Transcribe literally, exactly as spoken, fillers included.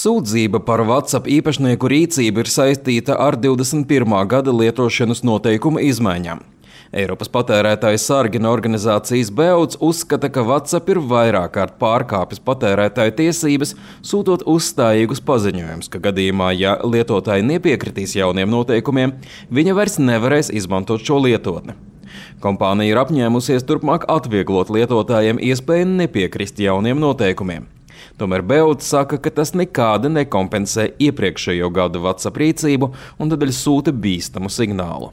Sūdzība par WhatsApp īpašnieku rīcību ir saistīta ar divdesmit pirmā gada lietošanas noteikumu izmaiņām. Eiropas patērētāju sargina organizācijas Beods uzskata, ka WhatsApp ir vairāk kārt pārkāpis patērētāju tiesības, sūtot uzstājīgus paziņojumus, ka gadījumā, ja lietotāji nepiekritīs jauniem noteikumiem, viņa vairs nevarēs izmantot šo lietotni. Kompānija ir apņēmusies turpmāk atvieglot lietotājiem iespēju nepiekrist jauniem noteikumiem. Tomēr Beods saka, ka tas nekādi nekompensē iepriekšējo gadu WhatsApp rīcību un tādēļ sūta bīstamu signālu.